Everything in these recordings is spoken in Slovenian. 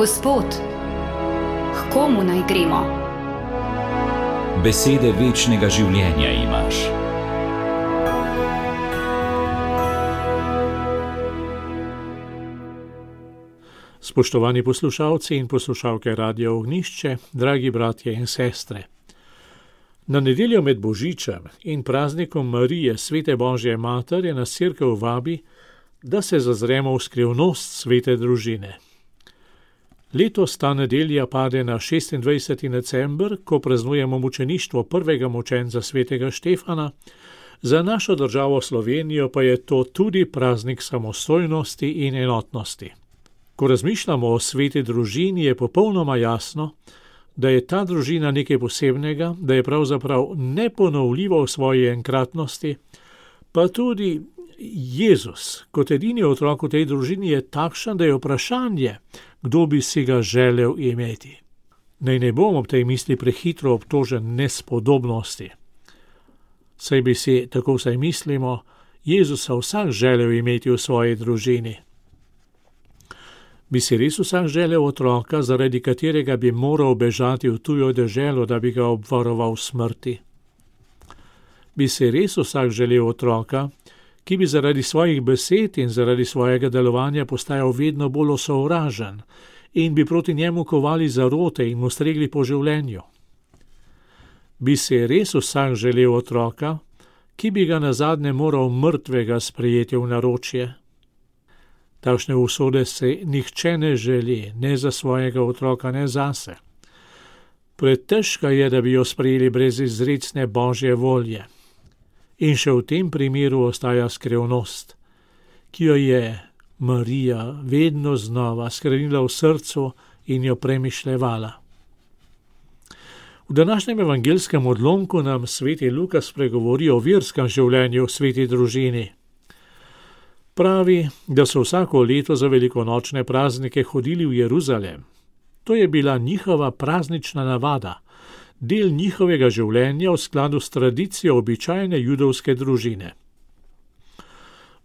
Gospod, k komu naj gremo? Besede večnega življenja imaš. Spoštovani poslušalci in poslušalke Radia Ognjišče, dragi bratje in sestre. Na nedeljo med Božičem in praznikom Marije, Svete Božje Matere, nas Cerkev vabi, da se zazremo v skrivnost svete družine. Letos ta nedelja pade na 26. december, ko praznujemo mučeništvo prvega mučenca svetega Štefana, za našo državo Slovenijo pa je to tudi praznik samostojnosti in enotnosti. Ko razmišljamo o sveti družini, je popolnoma jasno, da je ta družina nekaj posebnega, da je pravzaprav neponovljiva v svoji enkratnosti, pa tudi Jezus, kot edini otrok v tej družini, je takšen, da je vprašanje, kdo bi si ga želel imeti. Naj ne bom ob tej misli prehitro obtožen nespodobnosti. Saj bi si, tako vsaj mislimo, Jezusa vsak želel imeti v svoji družini. Bi si res vsak želel otroka, zaradi katerega bi moral bežati v tujo deželo, da bi ga obvaroval smrti? Bi si res vsak želel otroka, ki bi zaradi svojih besed in zaradi svojega delovanja postajal vedno bolj osovražen in bi proti njemu kovali zarote in mu stregli po življenju? Bi si res vsak želel otroka, ki bi ga nazadnje moral mrtvega sprejeti v naročje? Takšne usode se nihče ne želi, ne za svojega otroka, ne zase. Pretežka je, da bi jo sprejeli brez izrecne Božje volje. In še v tem primeru ostaja skrivnost, ki jo je Marija vedno znova skrenila v srcu in jo premišljevala. V današnjem evangelskem odlomku nam sveti Luka spregovori o verskem življenju v sveti družini. Pravi, da so vsako leto za velikonočne praznike hodili v Jeruzalem. To je bila njihova praznična navada, del njihovega življenja v skladu s tradicijo običajne judovske družine.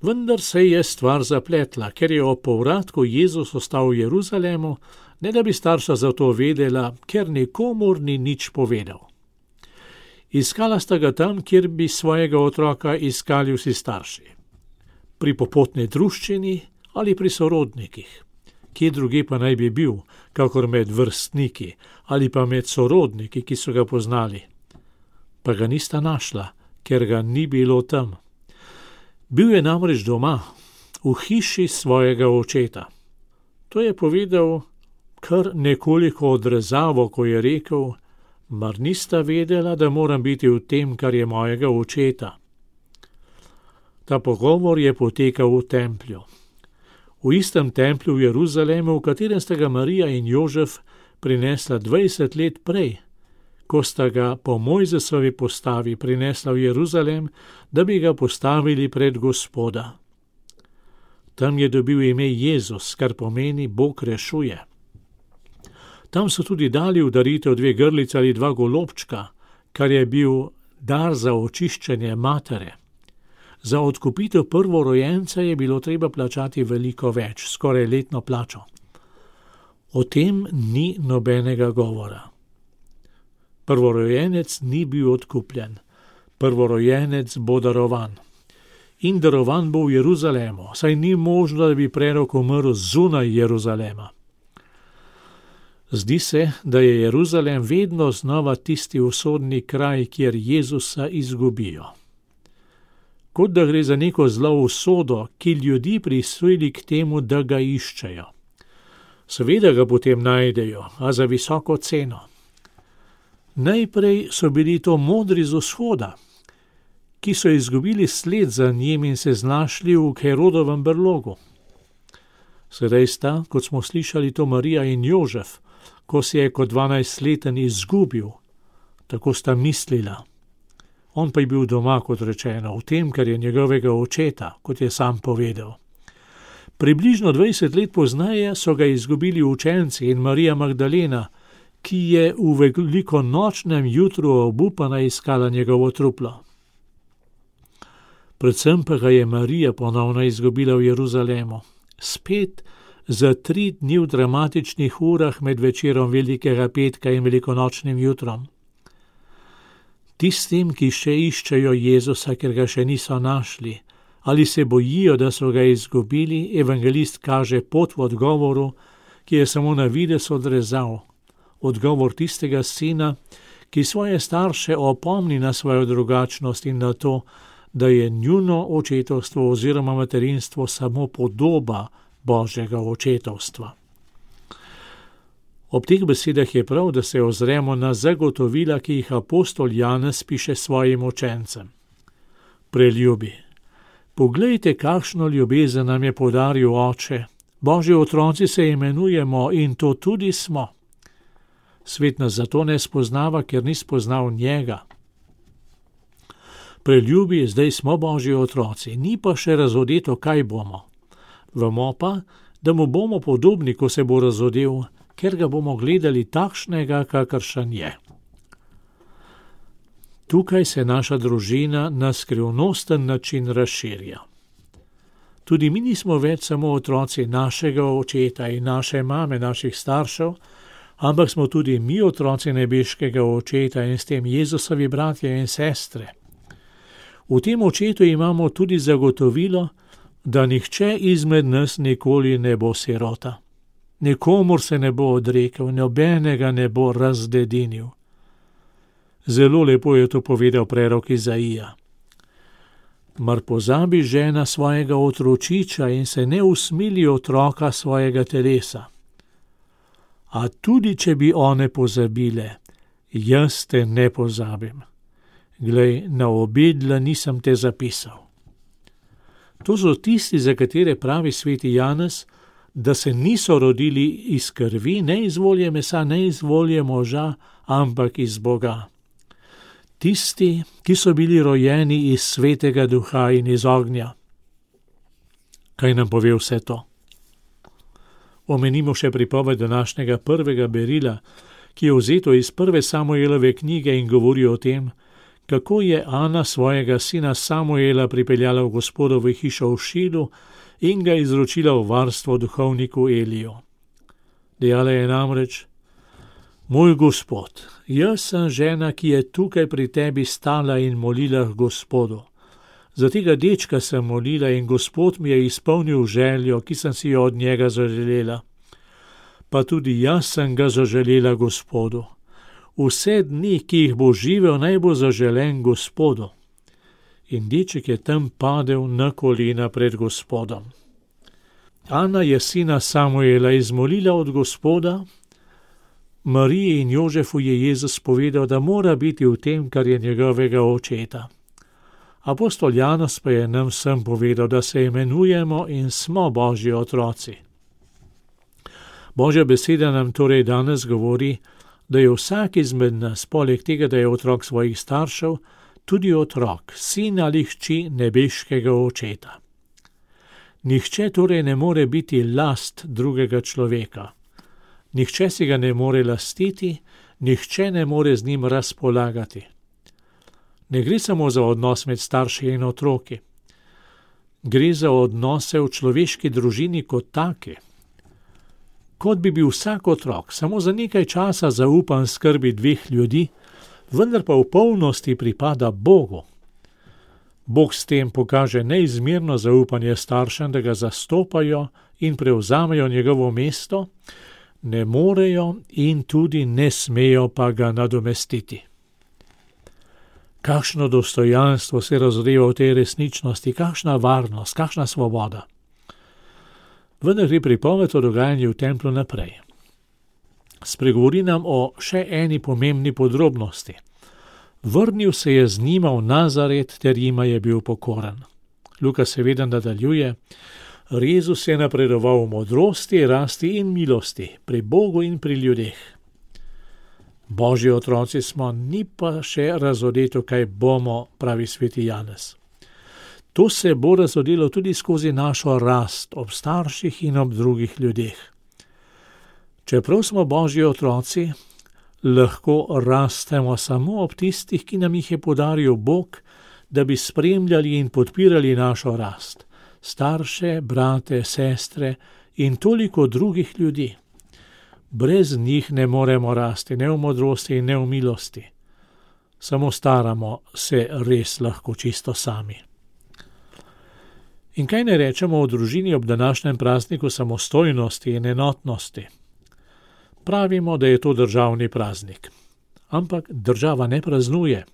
Vendar se je stvar zapletla, ker je ob povratku Jezus ostal v Jeruzalemu, ne da bi starša za to vedela, ker nikomur ni nič povedal. Iskala sta ga tam, kjer bi svojega otroka iskali vsi starši. Pri popotni druščini ali pri sorodnikih. Kje druge pa naj bi bil, kakor med vrstniki ali pa med sorodniki, ki so ga poznali. Pa ga nista našla, ker ga ni bilo tam. Bil je namreč doma, v hiši svojega očeta. To je povedal kar nekoliko odrezavo, ko je rekel, mar nista vedela, da moram biti v tem, kar je mojega očeta. Ta pogovor je potekal v templju. V istem templju v Jeruzalemu, v katerem sta ga Marija in Jožef prinesla 20 let prej, ko sta ga po Mojzesovi postavi prinesla v Jeruzalem, da bi ga postavili pred Gospoda. Tam je dobil ime Jezus, kar pomeni Bog rešuje. Tam so tudi dali v daritev 2 grlice ali 2 golobčka, kar je bil dar za očiščenje matere. Za odkupitev prvorojenca je bilo treba plačati veliko več, skoraj letno plačo. O tem ni nobenega govora. Prvorojenec ni bil odkupljen. Prvorojenec bo darovan. In darovan bo v Jeruzalemu, saj ni možno, da bi prerok umrl zunaj Jeruzalema. Zdi se, da je Jeruzalem vedno znova tisti usodni kraj, kjer Jezusa izgubijo. Kot da gre za neko zlo usodo, ki ljudi prisili k temu, da ga iščejo. Seveda ga potem najdejo, a za visoko ceno. Najprej so bili to modri z vzhoda, ki so izgubili sled za njim in se znašli v Herodovem brlogu. Sedaj sta, kot smo slišali, to Marija in Jožef, ko se je kot 12-leten izgubil, tako sta mislila. On pa je bil doma, kot rečeno, v tem, kar je njegovega očeta, kot je sam povedal. Približno 20 let pozneje so ga izgubili učenci in Marija Magdalena, ki je v velikonočnem jutru obupana iskala njegovo truplo. Predvsem pa ga je Marija ponovno izgubila v Jeruzalemu. Spet za 3 dni v dramatičnih urah med večerom Velikega petka in velikonočnim jutrom. Tistim, ki še iščejo Jezusa, ker ga še niso našli, ali se bojijo, da so ga izgubili, evangelist kaže pot v odgovoru, ki je samo na videz odrezal. Odgovor tistega sina, ki svoje starše opomni na svojo drugačnost in na to, da je njuno očetovstvo oziroma materinstvo samo podoba Božjega očetovstva. Ob teh besedah je prav, da se ozremo na zagotovila, ki jih apostol Janez piše svojim učencem. Preljubi, poglejte, kakšno ljubezen nam je podaril Oče. Božji otroci se imenujemo in to tudi smo. Svet nas zato ne spoznava, ker ni spoznal njega. Preljubi, zdaj smo Božji otroci, ni pa še razodeto, kaj bomo. Vemo pa, da mu bomo podobni, ko se bo razodel, ker ga bomo gledali takšnega, kakršen je. Tukaj se naša družina na skrivnosten način razširja. Tudi mi nismo več samo otroci našega očeta in naše mame, naših staršev, ampak smo tudi mi otroci nebeškega očeta in s tem Jezusovi bratje in sestre. V tem očetu imamo tudi zagotovilo, da nihče izmed nas nikoli ne bo sirota. Nikomur se ne bo odrekel, nobenega ne bo razdedinil. Zelo lepo je to povedal prerok Izaija. Mar pozabi žena svojega otročiča in se ne usmili otroka svojega telesa. A tudi, če bi one pozabile, jaz te ne pozabim. Glej, na obedla nisem te zapisal. To so tisti, za katere pravi sveti Janez, da se niso rodili iz krvi, ne iz volje mesa, ne iz volje moža, ampak iz Boga. Tisti, ki so bili rojeni iz svetega duha in iz ognja. Kaj nam pove vse to? Omenimo še pripoved današnjega prvega berila, ki je vzeto iz 1. Samuelove knjige in govori o tem, kako je Ana svojega sina Samuela pripeljala v Gospodovo hišo v Šilu in ga izročila v varstvo duhovniku Eliju. Dejala je namreč: Moj Gospod, jaz sem žena, ki je tukaj pri tebi stala in molila k Gospodu. Za tega dečka sem molila in Gospod mi je izpolnil željo, ki sem si jo od njega zaželela. Pa tudi jaz sem ga zaželela Gospodu. Vse dni, ki jih bo živel, naj bo zaželen Gospodu. In deček je tam padel na kolena pred Gospodom. Ana je sina Samuela izmolila od Gospoda. Mariji in Jožefu je Jezus povedal, da mora biti v tem, kar je njegovega očeta. Apostol Janez pa je nam vsem povedal, da se imenujemo in smo Božji otroci. Božja beseda nam torej danes govori, da je vsak izmed nas, poleg tega, da je otrok svojih staršev, tudi otrok, sin ali hči nebeškega očeta. Nihče torej ne more biti last drugega človeka. Nihče si ga ne more lastiti, nihče ne more z njim razpolagati. Ne gre samo za odnos med starši in otroki. Gre za odnose v človeški družini kot take. Kot bi bil vsak otrok samo za nekaj časa zaupan skrbi 2 ljudi, vendar pa v polnosti pripada Bogu. Bog s tem pokaže neizmerno zaupanje staršem, da ga zastopajo in prevzamejo njegovo mesto, ne morejo in tudi ne smejo pa ga nadomestiti. Kakšno dostojanstvo se razodeva v tej resničnosti, kakšna varnost, kakšna svoboda. Vendar gre pripoved o dogajanju v templu naprej. Spregovori nam o še eni pomembni podrobnosti. Vrnil se je z njima v Nazaret, ter jima je bil pokoren. Luka seveda nadaljuje: Jezus je napredoval v modrosti, rasti in milosti, pri Bogu in pri ljudeh. Božji otroci smo, ni pa še razodeto, kaj bomo, pravi sveti Janez. To se bo razodelo tudi skozi našo rast ob starših in ob drugih ljudeh. Čeprav smo Božji otroci, lahko rastemo samo ob tistih, ki nam jih je podaril Bog, da bi spremljali in podpirali našo rast. Starše, brate, sestre in toliko drugih ljudi. Brez njih ne moremo rasti, ne v modrosti in ne v milosti. Samo staramo se res lahko čisto sami. In kaj ne rečemo o družini ob današnjem prazniku samostojnosti in enotnosti? Pravimo, da je to državni praznik. Ampak država ne praznuje.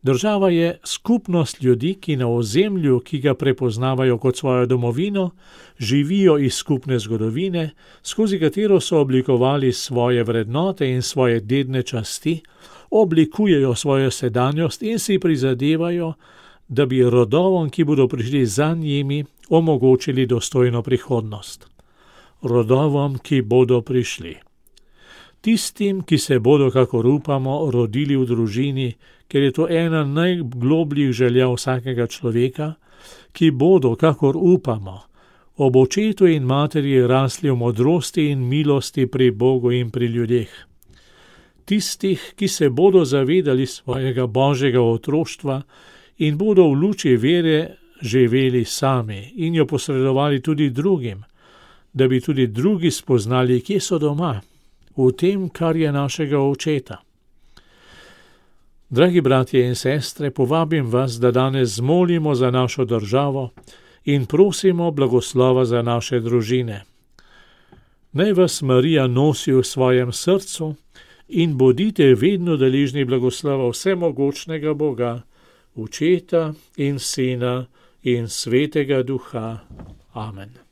Država je skupnost ljudi, ki na ozemlju, ki ga prepoznavajo kot svojo domovino, živijo iz skupne zgodovine, skozi katero so oblikovali svoje vrednote in svoje dedne časti, oblikujejo svojo sedanjost in si prizadevajo, da bi rodovom, ki bodo prišli za njimi, omogočili dostojno prihodnost. Rodovom, ki bodo prišli. Tistim, ki se bodo, kakor upamo, rodili v družini, ker je to ena najglobljih želja vsakega človeka, ki bodo, kakor upamo, ob očetu in materi rasli v modrosti in milosti pri Bogu in pri ljudeh. Tistih, ki se bodo zavedali svojega božjega otroštva in bodo v luči vere živeli sami in jo posredovali tudi drugim, da bi tudi drugi spoznali, kje so doma, v tem, kar je našega očeta. Dragi bratje in sestre, povabim vas, da danes molimo za našo državo in prosimo blagoslova za naše družine. Naj vas Marija nosi v svojem srcu in bodite vedno deležni blagoslova vsemogočnega Boga, Očeta in Sina in Svetega Duha. Amen.